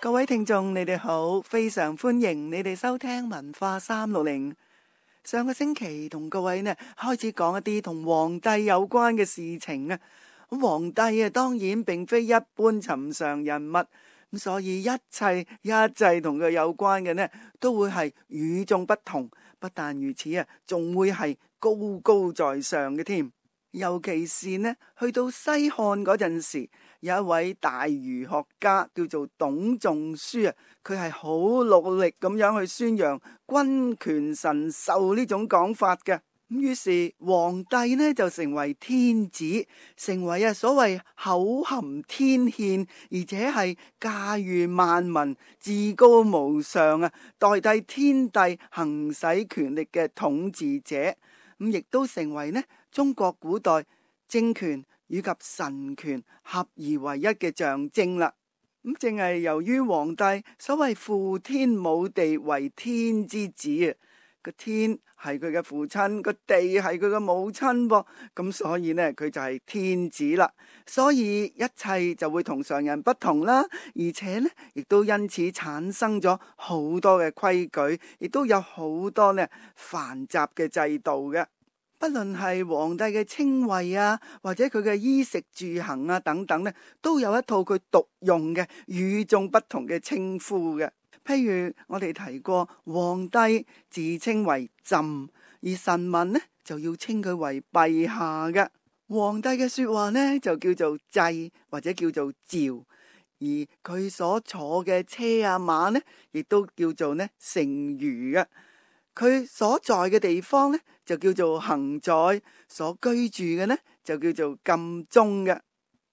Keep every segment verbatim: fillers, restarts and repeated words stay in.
各位聽眾，你哋好，非常歡迎你哋收聽文化三六零。上個星期同各位呢開始講一啲同皇帝有關嘅事情啊。咁皇帝啊，當然並非一般尋常人物，咁所以一切一切同佢有關嘅呢，都會係與眾不同。不但如此啊，仲會係高高在上嘅添。尤其是呢，去到西漢嗰陣時，有一位大儒學家叫做董仲舒啊，佢係好努力咁樣去宣揚君權神授呢種講法嘅。咁於是皇帝呢就成為天子，成為啊所謂口含天憲，而且係駕馭萬民、至高無上啊，代替天帝行使權力嘅統治者。咁亦都成為呢中國古代政權以及神權合而為一嘅象徵啦。咁正係由於皇帝所謂父天母地為天之子啊，個天係佢嘅父親，個地係佢嘅母親噃，咁所以呢佢就係天子啦。所以一切就會同常人不同啦，而且呢亦都因此產生咗好多嘅規矩，亦都有好多呢繁雜嘅制度嘅。不論係皇帝嘅稱謂啊，或者佢嘅衣食住行啊等等呢，都有一套佢獨用嘅與眾不同嘅稱呼嘅。譬如我哋提過，皇帝自稱為朕，而臣民呢就要稱佢為陛下嘅。皇帝嘅說話呢就叫做祭或者叫做詔，而佢所坐嘅車啊馬呢，亦都叫做呢乘輿嘅。佢所在嘅地方呢就叫做行在，所居住嘅呢就叫做禁中嘅。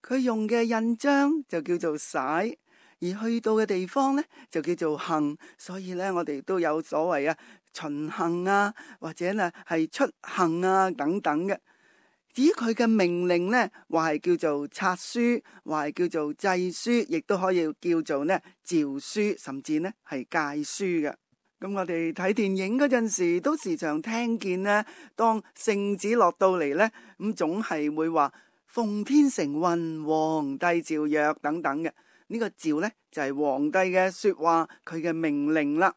佢用嘅印章就叫做璽，而去到嘅地方呢就叫做行。所以呢，我哋都有所謂啊巡行啊，或者呢係出行啊等等嘅。至於佢嘅命令呢，話係叫做冊書，話係叫做制書，亦都可以叫做呢詔書，甚至呢係誡書嘅。咁我哋睇電影嗰陣時，都時常聽見呢，當聖旨落到嚟呢，咁總係會話奉天承運，皇帝詔曰等等嘅。呢個詔呢，就係皇帝嘅說話，佢嘅命令啦。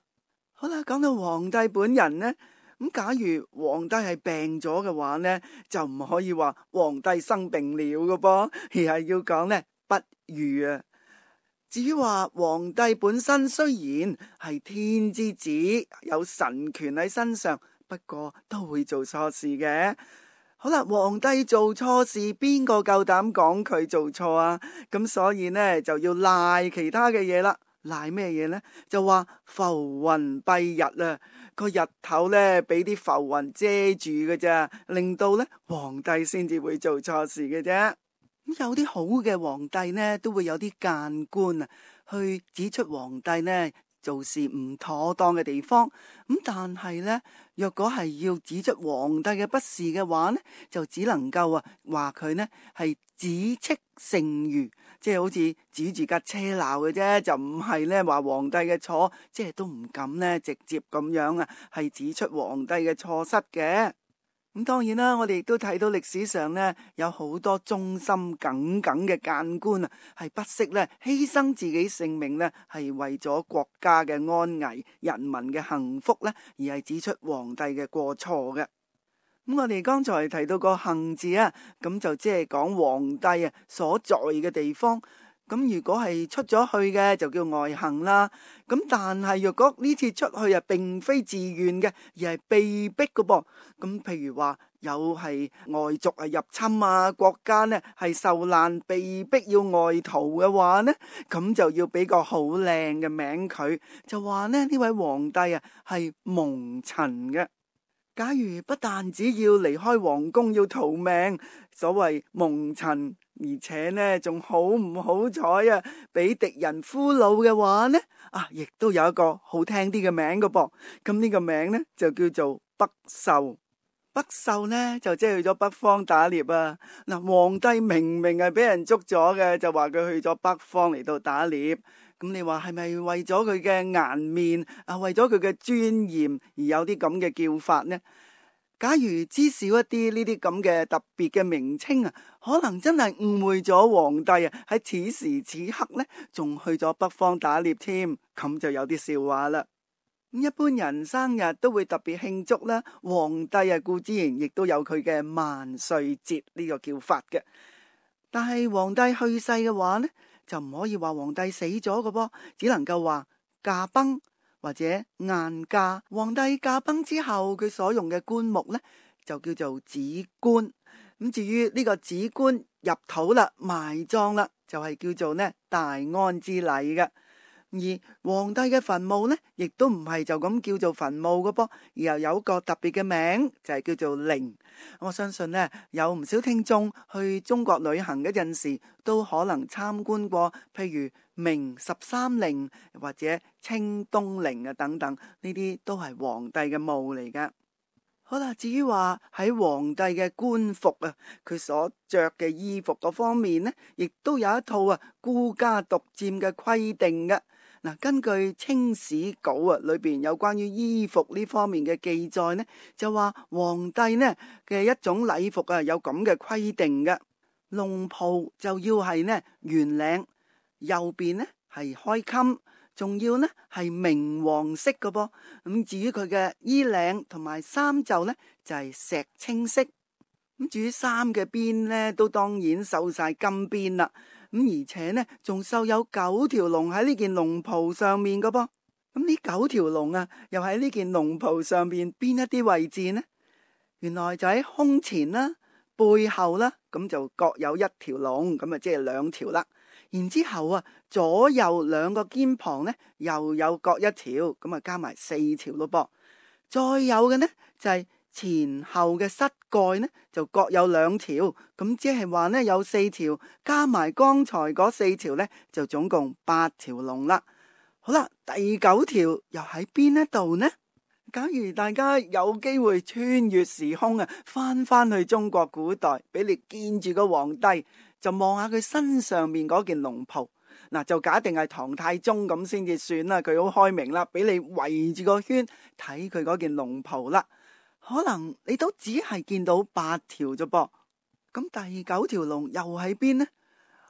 好啦，講到皇帝本人呢，咁假如皇帝係病咗嘅話呢，就唔可以話皇帝生病了嘅噃，而係要講呢不癒啊。至於話皇帝本身雖然係天之子，有神權喺身上，不過都會做錯事嘅。好啦，皇帝做錯事，邊個夠膽講佢做錯啊？咁所以呢就要賴其他嘅嘢啦。賴咩嘢呢？就話浮雲蔽日啊，個日頭呢俾啲浮雲遮住嘅啫，令到呢皇帝先至會做錯事嘅啫。有啲好嘅皇帝呢，都會有啲諫官啊，去指出皇帝呢做事唔妥當嘅地方。咁但係呢，若果係要指出皇帝嘅不是嘅話呢，就只能夠啊話佢呢係指斥聖諭，即係好似指住架車鬧嘅啫，就唔係呢話皇帝嘅錯，即係都唔敢呢直接咁樣啊，係指出皇帝嘅錯失嘅。咁當然啦，我哋亦都睇到歷史上呢，有好多忠心耿耿嘅諫官啊，係不惜呢犧牲自己性命呢，係為咗國家嘅安危、人民嘅幸福呢，而係指出皇帝嘅過錯嘅。咁我哋剛才提到個行字啊，咁就即係講皇帝啊所在嘅地方。咁如果係出咗去嘅就叫外行啦。咁但係若果呢次出去啊並非自願嘅，而係被逼嘅噃。咁譬如話有係外族啊入侵啊，國家呢係受難被逼要外逃嘅話呢，咁就要俾個好靚嘅名佢，就話呢呢位皇帝啊係蒙塵嘅。假如不但只要離開皇宮要逃命，所謂蒙塵，而且呢仲好唔好彩啊，俾敵人俘虜嘅話呢，啊，亦都有一個好聽啲嘅名㗎噃。咁呢個名呢就叫做北狩。北狩呢就即係去咗北方打獵啊。嗱，皇帝明明係俾人捉咗嘅，就話佢去咗北方嚟到打獵。咁你話係咪為咗佢嘅顏面啊，為咗佢嘅尊嚴而有啲咁嘅叫法呢？假如知少一啲呢啲咁嘅特別嘅名稱啊，可能真係誤會咗皇帝啊喺此時此刻呢，仲去咗北方打獵添，咁就有啲笑話啦。一般人生日都會特別慶祝啦，皇帝啊固之然亦都有佢嘅萬歲節呢個叫法嘅。但係皇帝去世嘅話呢，就唔可以話皇帝死咗嘅噃，只能夠話駕崩或者晏駕。皇帝駕崩之後，佢所用嘅棺木呢，就叫做賑棺。咁至於呢個賑棺入土啦，埋葬啦，就係叫做呢大安之禮嘅。而皇帝嘅墳墓呢，亦都唔係就咁叫做墳墓嘅噃，而又有個特別嘅名，就係叫做陵。我相信呢，有唔少聽眾去中國旅行嗰陣時，都可能參觀過，譬如明十三陵或者清東陵啊等等，呢啲都係皇帝嘅墓嚟噶。好啦，至於話喺皇帝嘅官服啊，佢所着嘅衣服嗰方面呢，亦都有一套啊孤家獨佔嘅規定嘅。嗱，根據《清史稿》啊，裏邊有關於衣服呢方面嘅記載呢，就話皇帝呢嘅一種禮服啊，有咁嘅規定嘅。龍袍就要係呢圓領，右邊呢係開襟，仲要呢係明黃色嘅噃。咁至於佢嘅衣領同埋衫袖呢，就係石青色。咁至於衫嘅邊呢，都當然繡晒金邊啦。咁而且呢，仲繡有九條龍喺呢件龍袍上面嘅噃。咁呢九條龍啊，又喺呢件龍袍上面邊一啲位置呢？原來就喺胸前啦、背後啦，咁就各有一條龍，咁啊即係兩條啦。然之後啊，左右兩個肩膀呢，又有各一條，咁啊加埋四條咯噃。再有嘅呢，就係、是。前後嘅膝蓋呢就各有兩條，咁即係話呢有四條，加埋剛才嗰四條呢就總共八條龍啦。好啦，第九條又喺邊一度呢？假如大家有機會穿越時空啊，翻翻去中國古代，俾你見住個皇帝，就望下佢身上面嗰件龍袍，嗱就假定係唐太宗咁先至算啦，佢好開明啦，俾你圍住個圈睇佢嗰件龍袍啦。可能你都只係見到八條啫噃，咁第九條龍又喺邊呢？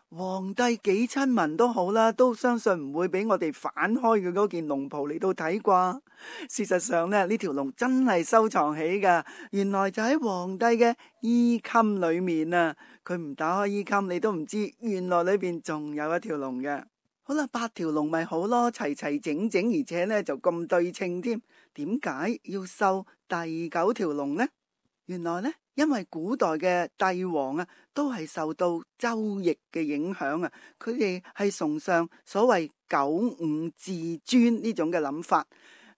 皇帝幾親民都好啦，都相信唔會俾我哋反開佢嗰件龍袍嚟到睇啩。事實上呢，呢條龍真係收藏起噶，原來就喺皇帝嘅衣襟裏面啊。佢唔打開衣襟，你都唔知原來裏邊仲有一條龍嘅。好啦，八條龍咪好咯，齊齊整整，而且呢就咁對稱添。點解要繡第九條龍呢？原來呢，因為古代嘅帝王啊，都係受到周易嘅影響啊，佢哋係崇尚所謂九五至尊呢種嘅諗法。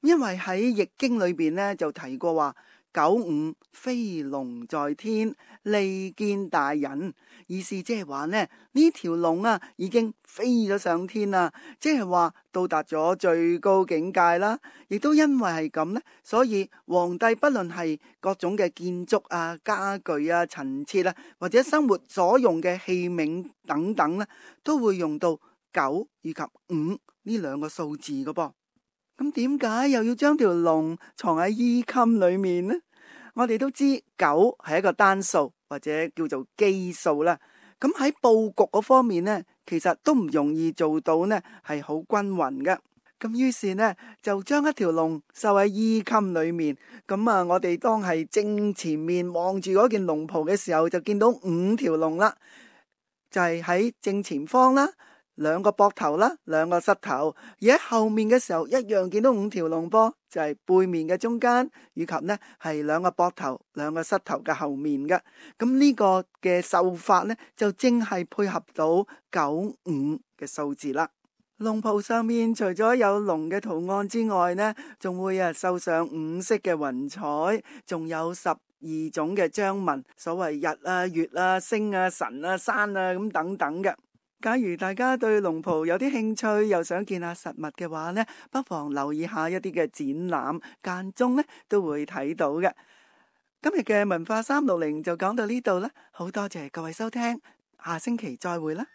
因為喺易經裏邊呢，就提過話，九五飛龍在天，利見大人。意思即係話呢，呢條龍啊已經飛咗上天啦，即係話到達咗最高境界啦。亦都因為係咁呢，所以皇帝不論係各種嘅建築啊、家具啊、陳設啊，或者生活所用嘅器皿等等呢，都會用到九以及五呢兩個數字嘅噃。咁點解又要將條龍藏喺衣襟裏面呢？我哋都知九係一個單數或者叫做奇數啦。咁喺佈局嗰方面呢，其實都唔容易做到呢係好均勻嘅。咁於是呢，就將一條龍繡喺衣襟裏面。咁啊，我哋當係正前面望住嗰件龍袍嘅時候，就見到五條龍啦，就係喺正前方啦。兩個膊頭啦，兩個膝頭，而喺後面嘅時候一樣見到五條龍噃，就係背面嘅中間，以及呢係兩個膊頭、兩個膝頭嘅後面嘅。咁呢個嘅繡法呢，就正係配合到九五嘅數字啦。龍袍上面除咗有龍嘅圖案之外呢，仲會啊繡上五色嘅雲彩，仲有十二種嘅章文，所謂日啊、月啊、星啊、神啊、山啊咁等等嘅。假如大家對龍袍有啲興趣，又想見下實物嘅話呢，不妨留意下一啲嘅展覽，間中呢都會睇到嘅。今日嘅文化三六零就講到呢度啦，好多謝各位收聽，下星期再會啦。